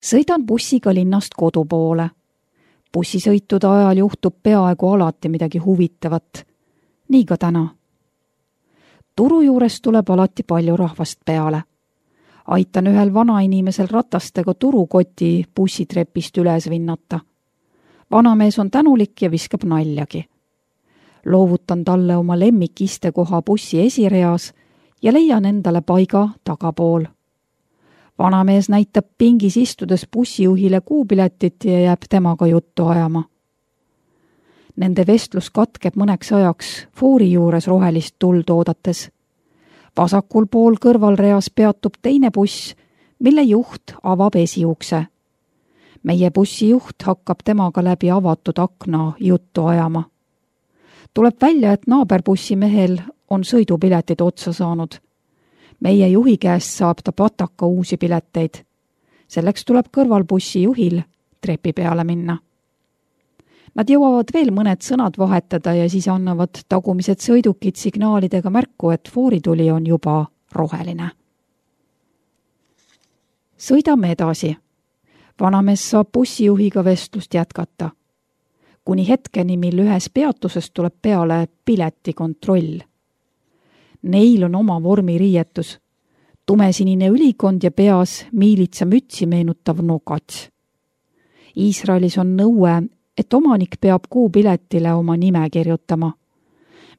Sõidan bussiga linnast kodu poole. Bussisõitude ajal juhtub peaaegu alati midagi huvitavat. Nii ka täna. Turu juures tuleb alati palju rahvast peale. Aitan ühel vanainimesel ratastega turukoti bussitrepist üles vinnata. Vanamees on tänulik ja viskab naljagi. Loovutan talle oma lemmikistekoha bussi esireas ja leian endale paiga tagapool. Vanamees näitab pingis istudes bussijuhile kuupiletit ja jääb temaga juttu ajama. Nende vestlus katkeb mõneks ajaks foori juures rohelist tuld oodates. Vasakul pool kõrvalreas peatub teine buss, mille juht avab esiukse. Meie bussijuht hakkab temaga läbi avatud akna juttu ajama. Tuleb välja, et naaberbussimehel on sõidupiletid otsa saanud. Meie juhi käest saab ta pataka uusi pileteid. Selleks tuleb kõrvalbussi juhil trepi peale minna. Nad jõuavad veel mõned sõnad vahetada ja siis annavad tagumised sõidukid signaalidega märku, et foorituli on juba roheline. Sõidame edasi. Vanamees saab bussijuhiga vestlust jätkata. Kuni hetkeni, mil ühes peatuses tuleb peale piletikontroll. Neil on oma vormiriietus. Tumesinine ülikond ja peas miilitsa mütsi meenutav nokats. Iisraelis on nõue, et omanik peab kuupiletile oma nime kirjutama.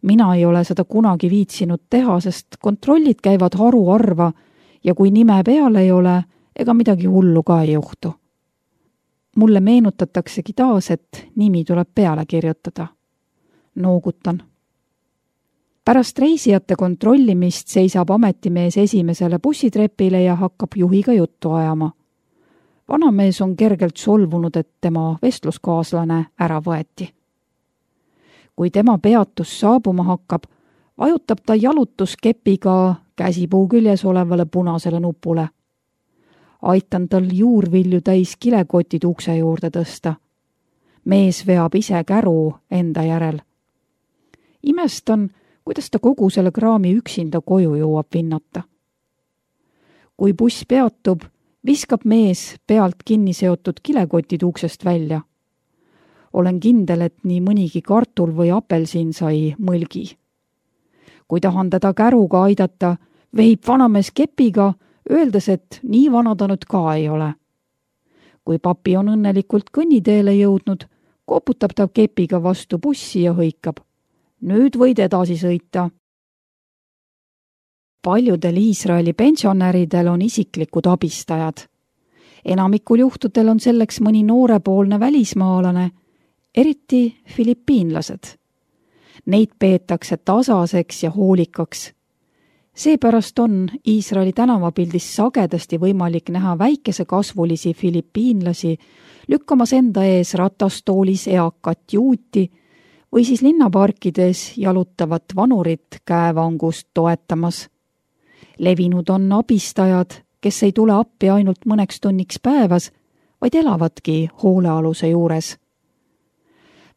Mina ei ole seda kunagi viitsinud teha, sest kontrollid käivad haruharva ja kui nime peal ei ole, ega midagi hullu ka ei juhtu. Mulle meenutataksegi taas, et nimi tuleb peale kirjutada. Noogutan. Pärast reisijate kontrollimist seisab ametimees esimesele bussitrepile ja hakkab juhiga juttu ajama. Vanamees on kergelt solvunud, et tema vestluskaaslane ära võeti. Kui tema peatus saabuma hakkab, vajutab ta jalutuskepiga käsipuu küljes olevale punasele nupule. Aitan tal juurvilju täis kilekotid ukse juurde tõsta. Mees veab ise käru enda järel. Imestan, kuidas ta kogu selle kraami üksinda koju jõuab vinnata. Kui buss peatub, viskab mees pealt kinni seotud kilekotid uksest välja. Olen kindel, et nii mõnigi kartul või apelsin sai mõlgi. Kui tahan teda käruga aidata, vehib vanamees kepiga, öeldes, et nii vana ta nüüd ka ei ole. Kui papi on õnnelikult kõnniteele jõudnud, koputab ta kepiga vastu bussi ja hõikab. Nüüd võid edasi sõita. Paljudel Iisraeli pensionäridel on isiklikud abistajad. Enamikul juhtudel on selleks mõni noorepoolne välismaalane, eriti filipiinlased. Neid peetakse tasaseks ja hoolikaks. Seepärast on Iisraeli tänavapildis sagedasti võimalik näha väikese kasvulisi filipiinlasi lükkamas enda ees ratastoolis eakat juuti või siis linnaparkides jalutavat vanurit käevangust toetamas. Levinud on abistajad, kes ei tule appi ainult mõneks tunniks päevas, vaid elavadki hoolealuse juures.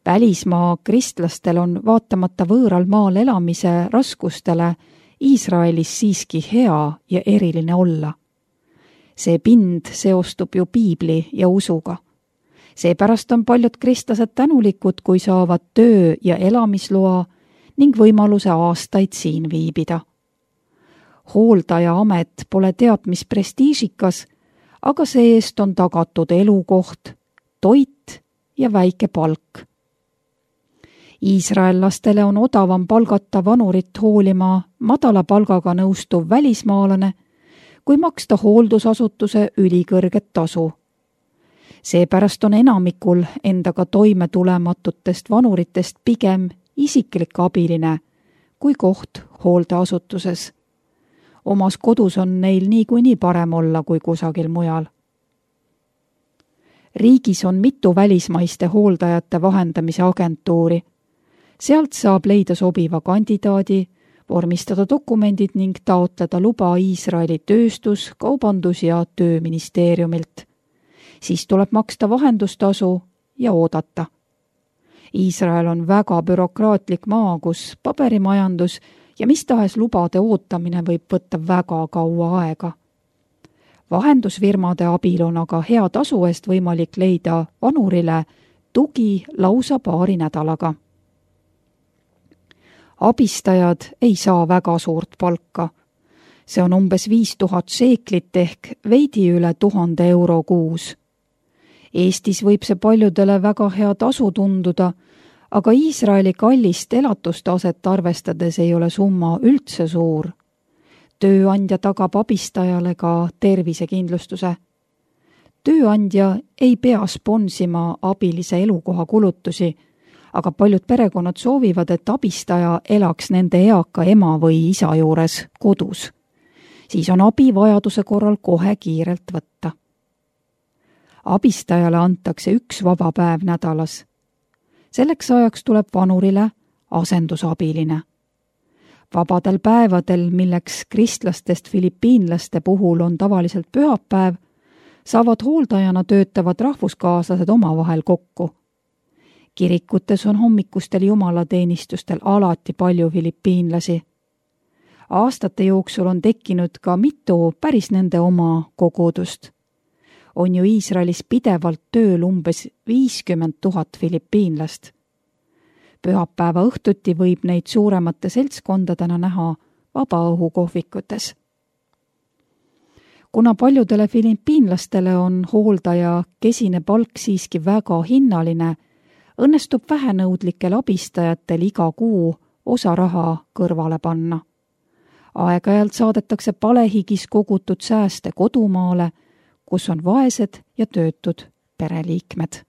Välismaa kristlastel on vaatamata võõral maal elamise raskustele Iisraelis siiski hea ja eriline olla. See pind seostub ju piibli ja usuga. Seepärast on paljud kristlased tänulikud, kui saavad töö- ja elamisloa ning võimaluse aastaid siin viibida. Hooldaja amet pole teab mis prestiižikas, aga see-eest on tagatud elukoht, toit ja väike palk. Iisraellastele on odavam palgata vanurit hoolima madala palgaga nõustuv välismaalane, kui maksta hooldusasutuse ülikõrget tasu. Seepärast on enamikul endaga toime tulematutest vanuritest pigem isiklik abiline kui koht hooldeasutuses. Omas kodus on neil niikuinii parem olla kui kusagil mujal. Riigis on mitu välismaiste hooldajate vahendamise agentuuri. Sealt saab leida sobiva kandidaadi, vormistada dokumendid ning taotleda luba Iisraeli tööstus-, kaubandus- ja tööministeeriumilt. Siis tuleb maksta vahendustasu ja oodata. Iisrael on väga bürokraatlik maa, kus paberimajandus ja mis tahes lubade ootamine võib võtta väga kaua aega. Vahendusfirmade abil on aga hea tasu eest võimalik leida vanurile tugi lausa paari nädalaga. Abistajad ei saa väga suurt palka. See on umbes 5000 šeeklit ehk veidi üle 1000 euro kuus. Eestis võib see paljudele väga hea tasu tunduda, aga Iisraeli kallist elatustaset arvestades ei ole summa üldse suur. Tööandja tagab abistajale ka tervisekindlustuse. Tööandja ei pea sponsima abilise elukoha kulutusi, aga paljud perekonnad soovivad, et abistaja elaks nende eaka ema või isa juures kodus. Siis on abi vajaduse korral kohe kiirelt võtta. Abistajale antakse 1 vaba päev nädalas. Selleks ajaks tuleb vanurile asendusabiline. Vabadel päevadel, milleks kristlastest filipiinlaste puhul on tavaliselt pühapäev, saavad hooldajana töötavad rahvuskaaslased omavahel kokku. Kirikutes on hommikustel jumalateenistustel alati palju filipiinlasi. Aastate jooksul on tekkinud ka mitu päris nende oma kogudust. On ju Iisraelis pidevalt tööl umbes 50 000 filipiinlast. Pühapäeva õhtuti võib neid suuremate seltskondadena näha vabaõhukohvikutes. Kuna paljudele filipiinlastele on hooldaja kesine palk siiski väga hinnaline, õnnestub vähenõudlikel abistajatel iga kuu osa raha kõrvale panna. Aeg-ajalt saadetakse palehigis kogutud sääste kodumaale, kus on vaesed ja töötud pereliikmed.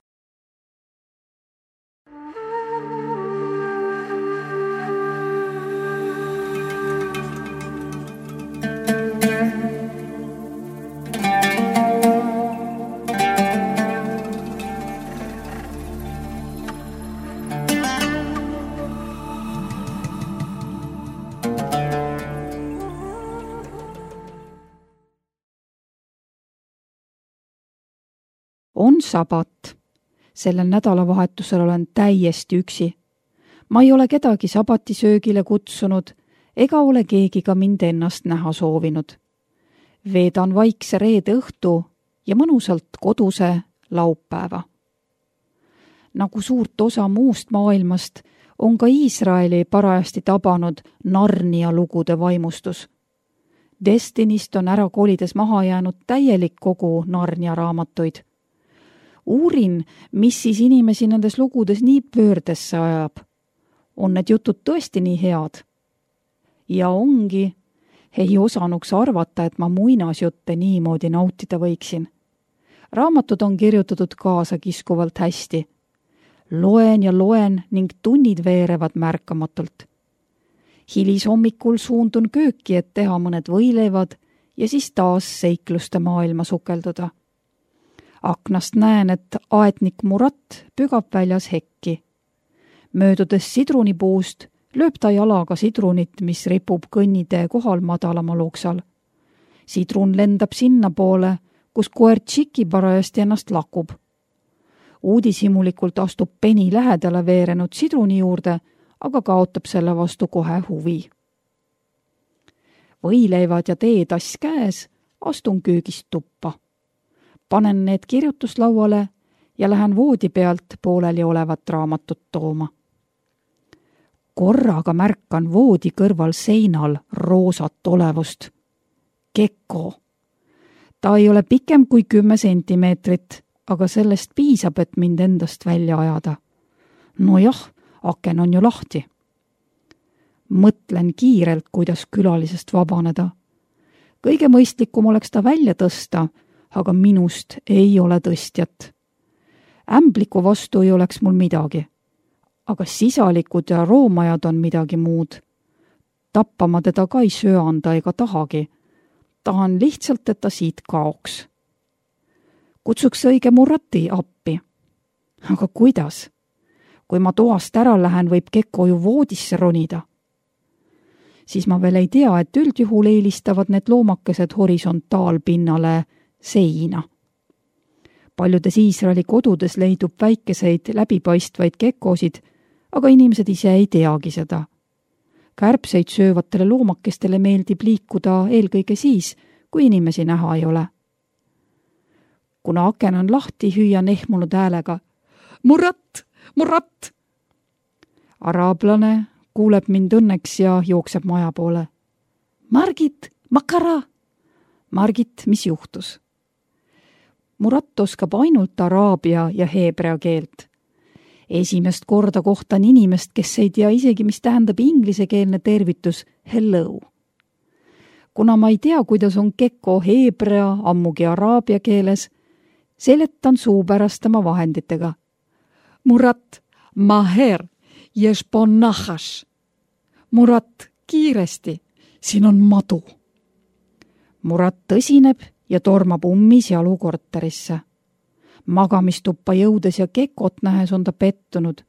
On sabat. Sellel nädalavahetusel olen täiesti üksi. Ma ei ole kedagi sabatisöögile kutsunud ega ole keegi ka mind ennast näha soovinud. Veedan vaikse reede õhtu ja mõnusalt koduse laupäeva. Nagu suurt osa muust maailmast on ka Iisraeli parajasti tabanud Narnia lugude vaimustus. Destinist on ära kolides maha jäänud täielik kogu Narnia raamatuid. Uurin, mis siis inimesi nendes lugudes nii pöördesse ajab. On need jutud tõesti nii head? Ja ongi, ei osanuks arvata, et ma muinasjutte niimoodi nautida võiksin. Raamatud on kirjutatud kaasakiskuvalt hästi. Loen ja loen ning tunnid veerevad märkamatult. Hilishommikul suundun kööki, et teha mõned võileivad ja siis taas seikluste maailma sukelduda. Aknast näen, et aetnik Murat pügab väljas hekki. Möödudes sidrunipuust lööb ta jalaga sidrunit, mis ripub kõnnitee kohal madalamal oksal. Sidrun lendab sinna poole, kus koer Tšiki parajasti ennast lakub. Uudishimulikult astub Penny lähedale veerenud sidruni juurde, aga kaotab selle vastu kohe huvi. Võileivad ja teetass käes, astun köögist tuppa. Panen need kirjutuslauale ja lähen voodi pealt pooleli olevat raamatut tooma. Korraga märkan voodi kõrval seinal roosat olevust. Gekko. Ta ei ole pikem kui 10 sentimeetrit, aga sellest piisab, et mind endast välja ajada. Nojah, aken on ju lahti. Mõtlen kiirelt, kuidas külalisest vabaneda. Kõige mõistlikum oleks ta välja tõsta, aga minust ei ole tõstjat. Ämbliku vastu ei oleks mul midagi. Aga sisalikud ja roomajad on midagi muud. Tappama teda ka ei söanda ega tahagi. Tahan lihtsalt, et ta siit kaoks. Kutsuks õige Murati appi. Aga kuidas? Kui ma toast ära lähen, võib Gekko ju voodisse ronida. Siis ma veel ei tea, et üldjuhul eelistavad need loomakesed horisontaalpinnale seina. Paljudes Iisraeli kodudes leidub väikeseid läbipaistvaid gekkosid, aga inimesed ise ei teagi seda. Kärbseid söövatele loomakestele meeldib liikuda eelkõige siis, kui inimesi näha ei ole. Kuna aken on lahti, hüüan ehmunud häälega. Murat! Murat! Araablane kuuleb mind õnneks ja jookseb maja poole. Margit, Makara! Margit, mis juhtus? Murat oskab ainult araabia ja heebrea keelt. Esimest korda kohtan inimest, kes ei tea isegi, mis tähendab inglisekeelne tervitus hello. Kuna ma ei tea, kuidas on gecko heebrea, ammugi araabia keeles, seletan suupärastama vahenditega. Murat, maher, ješpon nahaš. Murat, kiiresti, siin on madu. Murat tõsineb ja tormab ummis jalu korterisse. Magamistuppa jõudes ja gekot nähes on ta pettunud.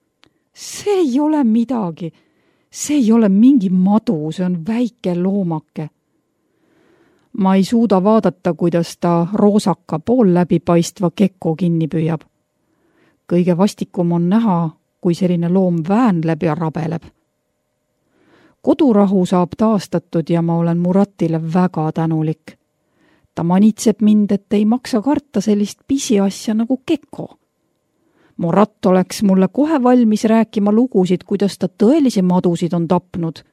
See ei ole midagi. See ei ole mingi madu, see on väike loomake. Ma ei suuda vaadata, kuidas ta roosaka pool läbipaistva gekko kinni püüab. Kõige vastikum on näha, kui selline loom väänleb ja rabeleb. Kodurahu saab taastatud ja ma olen Muratile väga tänulik. Ta manitseb mind, et ei maksa karta sellist pisiasja nagu gekko. Murat oleks mulle kohe valmis rääkima lugusid, kuidas ta tõelisi madusid on tapnud.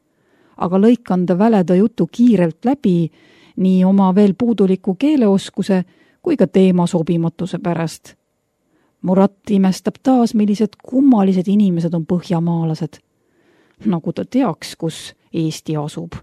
Aga lõikan ta väleda jutu kiirelt läbi, nii oma veel puuduliku keeleoskuse kui ka teema sobimatuse pärast. Murat imestab taas, millised kummalised inimesed on põhjamaalased. Nagu ta teaks, kus Eesti asub.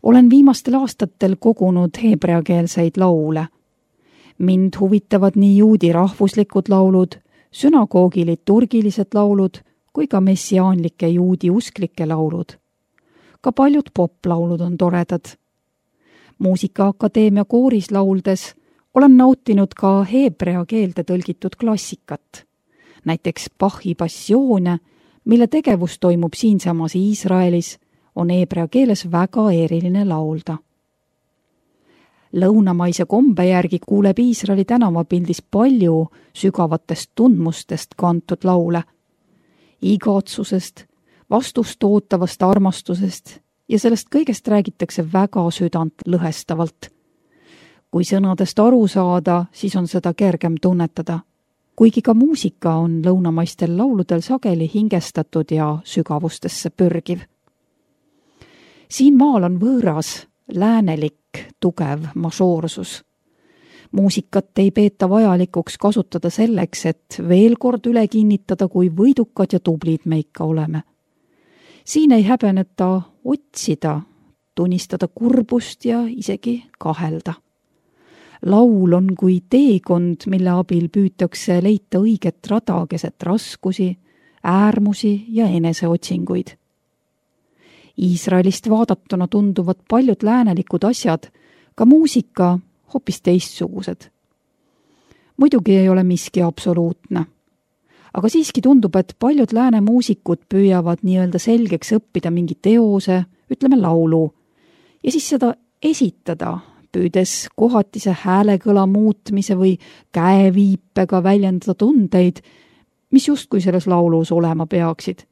Olen viimastel aastatel kogunud heebreakeelseid laule. Mind huvitavad nii juudi rahvuslikud laulud, sünagoogi liturgilised laulud kui ka messiaanlike juudi usklike laulud. Ka paljud poplaulud on toredad. Muusikaakadeemia kooris lauldes olen nautinud ka heebrea keelde tõlgitud klassikat. Näiteks Bachi passioone, mille tegevus toimub siinsamas Iisraelis, on heebrea keeles väga eriline laulda. Lõunamaise kombe järgi kuuleb Iisraeli tänavapildis palju sügavatest tundmustest kantud laule. Igatsusest, vastust ootavast armastusest ja sellest kõigest räägitakse väga südant lõhestavalt. Kui sõnadest aru saada, siis on seda kergem tunnetada. Kuigi ka muusika on lõunamaistel lauludel sageli hingestatud ja sügavustesse pürgiv. Siin maal on võõras, läänelik, tugev mažoorsus. Muusikat ei peeta vajalikuks kasutada selleks, et veel kord üle kinnitada, kui võidukad ja tublid me ikka oleme. Siin ei häbeneta otsida, tunnistada kurbust ja isegi kahelda. Laul on kui teekond, mille abil püütakse leida õiget rada keset raskusi, äärmusi ja eneseotsinguid. Iisraelist vaadatuna tunduvad paljud läänelikud asjad, ka muusika, hoopis teistsugused. Muidugi ei ole miski absoluutne. Aga siiski tundub, et paljud lääne muusikud püüavad nii-öelda selgeks õppida mingi teose, ütleme laulu, ja siis seda esitada, püüdes kohatise häälekõla muutmise või käeviipega väljendada tundeid, mis justkui selles laulus olema peaksid.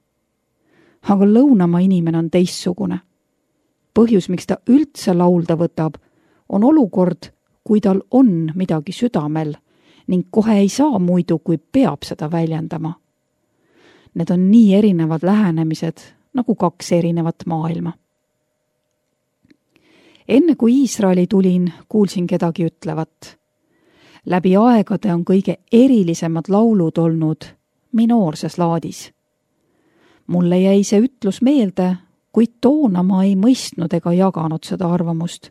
Aga lõunamaa inimene on teissugune. Põhjus, miks ta üldse laulda võtab, on olukord, kui tal on midagi südamel ning kohe ei saa muidu, kui peab seda väljendama. Need on nii erinevad lähenemised, nagu kaks erinevat maailma. Enne kui Iisraeli tulin, kuulsin kedagi ütlevat. Läbi aegade on kõige erilisemad laulud olnud minoorses laadis. Mulle jäi see ütlus meelde, kuid toona ma ei mõistnud ega jaganud seda arvamust.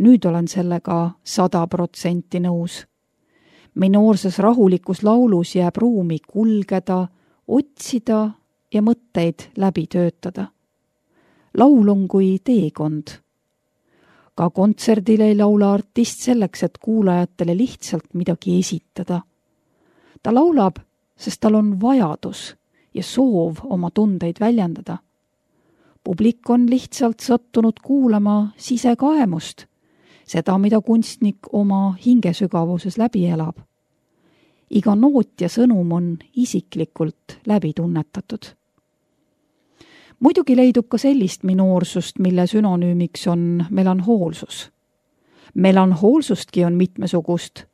Nüüd olen sellega 100% nõus. Minoorses rahulikus laulus jääb ruumi kulgeda, otsida ja mõtteid läbi töötada. Laul on kui teekond. Ka kontserdil ei laula artist selleks, et kuulajatele lihtsalt midagi esitada. Ta laulab, sest tal on vajadus ja soov oma tundeid väljendada. Publik on lihtsalt sattunud kuulama sisekaemust, seda, mida kunstnik oma hingesügavuses läbi elab. Iga noot ja sõnum on isiklikult läbi tunnetatud. Muidugi leidub ka sellist minoorsust, mille sünonüümiks on melanhoolsus. Melanhoolsustki on mitmesugust,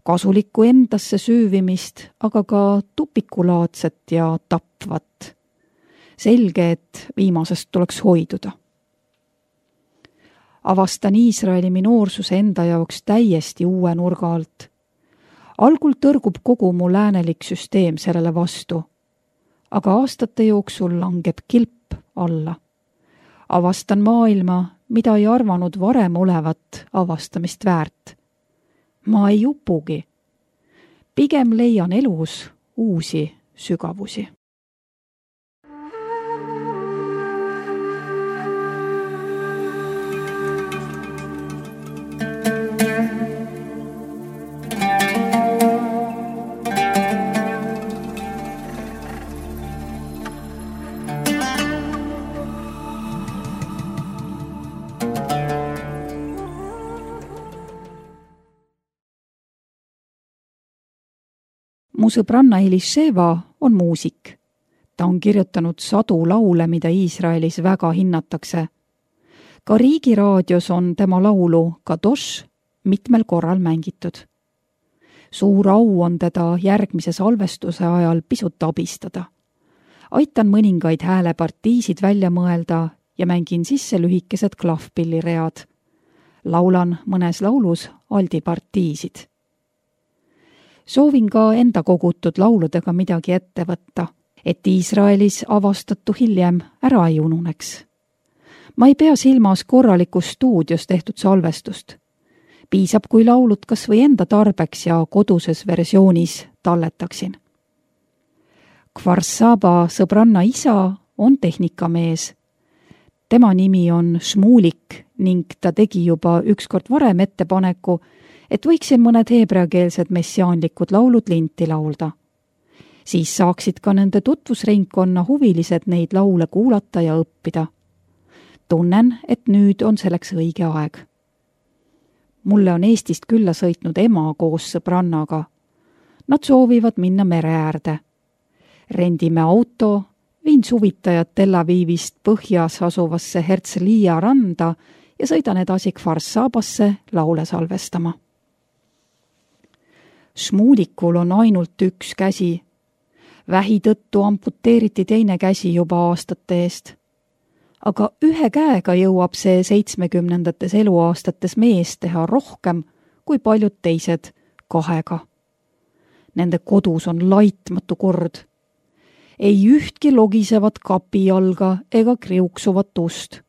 kasulikku endasse süüvimist, aga ka tupikulaadset ja tapvat. Selge, et viimasest tuleks hoiduda. Avastan Iisraeli minoorsuse enda jaoks täiesti uue nurga alt. Algul tõrgub kogu mu läänelik süsteem sellele vastu, aga aastate jooksul langeb kilp alla. Avastan maailma, mida ei arvanud varem olevat avastamist väärt. Ma ei upugi. Pigem leian elus uusi sügavusi. Mu sõbranna Elisheva on muusik. Ta on kirjutanud sadu laule, mida Iisraelis väga hinnatakse. Ka riigiraadios on tema laulu Kadosh mitmel korral mängitud. Suur au on teda järgmise salvestuse ajal pisut abistada. Aitan mõningaid häälepartiisid välja mõelda ja mängin sisse lühikesed klahvpilliread. Laulan mõnes laulus aldipartiisid. Soovin ka enda kogutud lauludega midagi ette võtta, et Iisraelis avastatu hiljem ära ei ununeks. Ma ei pea silmas korralikus stuudios tehtud salvestust. Piisab, kui laulud kas või enda tarbeks ja koduses versioonis talletaksin. Kfar Saba sõbranna isa on tehnikamees. Tema nimi on Šmulik ning ta tegi juba ükskord varem ettepaneku, et võiksin mõned heebreakeelsed messiaanlikud laulud linti laulda. Siis saaksid ka nende tutvusringkonna huvilised neid laule kuulata ja õppida. Tunnen, et nüüd on selleks õige aeg. Mulle on Eestist külla sõitnud ema koos sõbrannaga. Nad soovivad minna mere äärde. Rendime auto, viin suvitajad Tel Avivist põhjas asuvasse Herzliya randa ja sõidan edasi Kfar Sabasse laule salvestama. Šmulikul on ainult üks käsi. Vähi tõttu amputeeriti teine käsi juba aastate eest. Aga ühe käega jõuab see 70-ndates eluaastates mees teha rohkem kui paljud teised kahega. Nende kodus on laitmatu kord. Ei ühtki logisevat kapijalga ega kriuksuvat ust.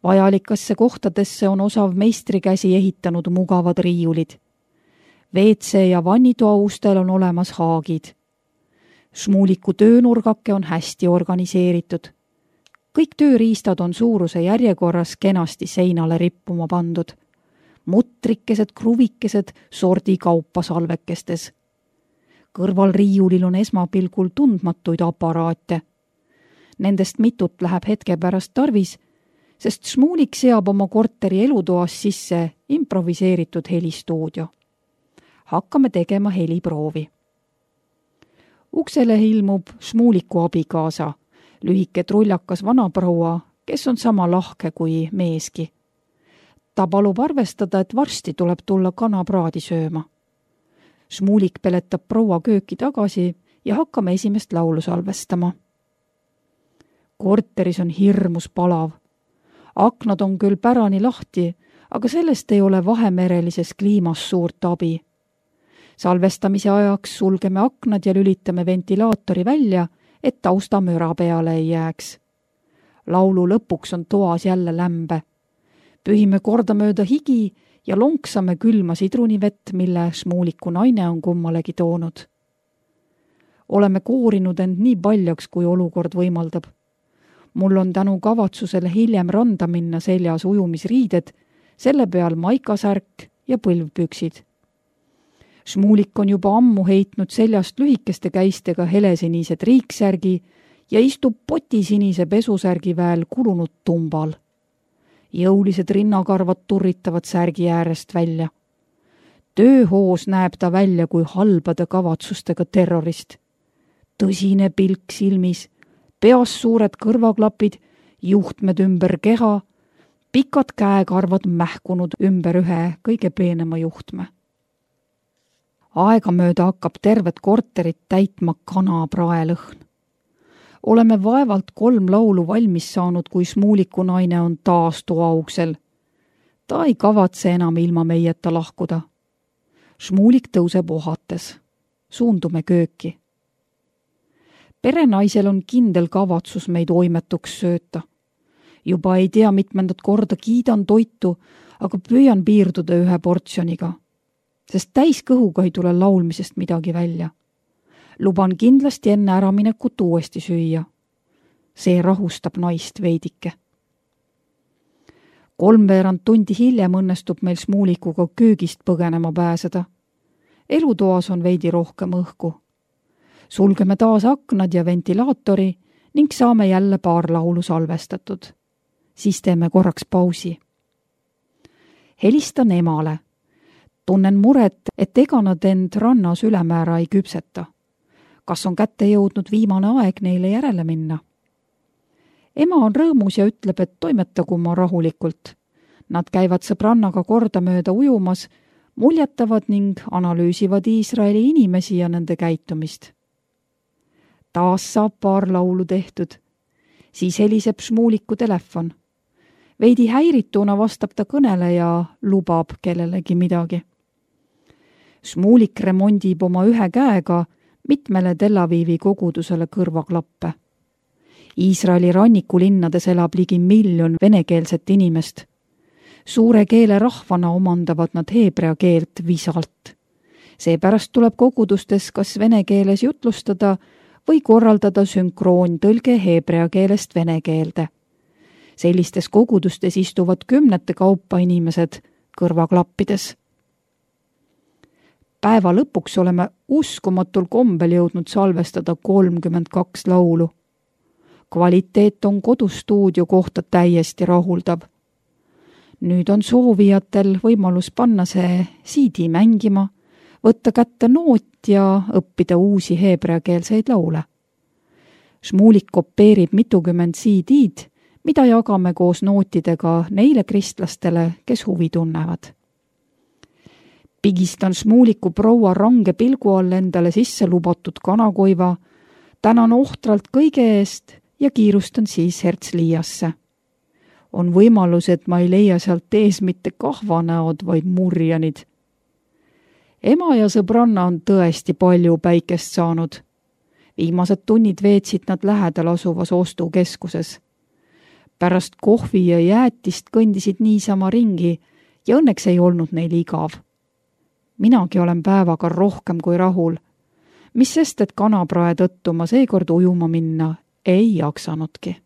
Vajalikesse kohtadesse on osav meistrikäsi ehitanud mugavad riiulid. WC ja vannitoaustel on olemas haagid. Šmuliku töönurgake on hästi organiseeritud. Kõik tööriistad on suuruse järjekorras kenasti seinale rippuma pandud. Mutrikesed, kruvikesed sordi kaupa salvekestes. Kõrval riiulil on esmapilgul tundmatuid aparaate. Nendest mitut läheb hetke pärast tarvis, sest Šmulik seab oma korteri elutoas sisse improviseeritud helistuudio. Hakkame tegema heliproovi. Uksele ilmub Šmuliku abikaasa, lühike trullakas vanaproua, kes on sama lahke kui meeski. Ta palub arvestada, et varsti tuleb tulla kanapraadi sööma. Šmulik peletab proua kööki tagasi ja hakkame esimest laulu salvestama. Korteris on hirmus palav. Aknad on küll pärani lahti, aga sellest ei ole vahemerelises kliimas suurt abi. Salvestamise ajaks sulgeme aknad ja lülitame ventilaatori välja, et taustamüra peale ei jääks. Laulu lõpuks on toas jälle lämbe. Pühime kordamööda higi ja lonksame külma sidrunivett, mille Šmuliku naine on kummalegi toonud. Oleme koorinud end nii paljaks, kui olukord võimaldab. Mul on tänu kavatsusele hiljem randa minna seljas ujumisriided, selle peal maikasärk ja põlvpüksid. Šmulik on juba ammu heitnud seljast lühikeste käistega helesinised riiksärgi ja istub potisinise pesusärgi väel kulunud tumbal. Jõulised rinnakarvad turritavad särgi äärest välja. Tööhoos näeb ta välja kui halbade kavatsustega terrorist. Tõsine pilk silmis, peas suured kõrvaklapid, juhtmed ümber keha, pikad käekarvad mähkunud ümber ühe kõige peenema juhtme. Aegamööda hakkab tervet korterit täitma kanapraelõhn. Oleme vaevalt 3 laulu valmis saanud, kui Šmuliku naine on taas toauksel. Ta ei kavatse enam ilma meieta lahkuda. Šmulik tõuseb ohates. Suundume kööki. Perenaisel on kindel kavatsus meid oimetuks sööta. Juba ei tea mitmendat korda kiidan toitu, aga püüan piirduda ühe portsjoniga, sest täiskõhuga ei tule laulmisest midagi välja. Luban kindlasti enne äraminekut uuesti süüa. See rahustab naist veidike. 3/4 tundi hiljem õnnestub meil Šmulikuga köögist põgenema pääseda. Elutoas on veidi rohkem õhku. Sulgeme taas aknad ja ventilaatori ning saame jälle paar laulu salvestatud. Siis teeme korraks pausi. Helistan emale. Tunnen muret, et ega nad end rannas ülemäära ei küpseta. Kas on kätte jõudnud viimane aeg neile järele minna? Ema on rõõmus ja ütleb, et toimetagu ma rahulikult. Nad käivad sõbrannaga kordamööda ujumas, muljetavad ning analüüsivad Iisraeli inimesi ja nende käitumist. Taas saab paar laulu tehtud. Siis heliseb Šmuliku telefon. Veidi häirituna vastab ta kõnele ja lubab kellelegi midagi. Šmulik remondib oma ühe käega mitmele Tel Avivi kogudusele kõrvaklappe. Iisraeli rannikulinnades elab ligi 1 miljon venekeelset inimest. Suure keele rahvana omandavad nad heebrea keelt visalt. Seepärast tuleb kogudustes kas vene keeles jutlustada või korraldada sünkroontõlge heebrea keelest vene keelde. Sellistes kogudustes istuvad 10 kaupa inimesed kõrvaklappides. Päeva lõpuks oleme uskumatul kombel jõudnud salvestada 32 laulu. Kvaliteet on kodustuudio kohta täiesti rahuldav. Nüüd on soovijatel võimalus panna see CD mängima, võtta kätte noot ja õppida uusi heebreakeelseid laule. Šmulik kopeerib mitukümmend CD-d, mida jagame koos nootidega neile kristlastele, kes huvi tunnevad. Pigistan Šmuliku proua range pilgu all endale sisse lubatud kanakoiva, tänan ohtralt kõige eest ja kiirustan siis Herzliasse. On võimalus, et ma ei leia sealt ees mitte kahvanäod, vaid murjanid. Ema ja sõbranna on tõesti palju päikest saanud. Viimased tunnid veetsid nad lähedal asuvas ostukeskuses. Pärast kohvi ja jäätist kõndisid niisama ringi ja õnneks ei olnud neil igav. Minagi olen päevaga rohkem kui rahul. Mis sest, et kanaprae tõttu ma seekord ujuma minna ei jaksanudki.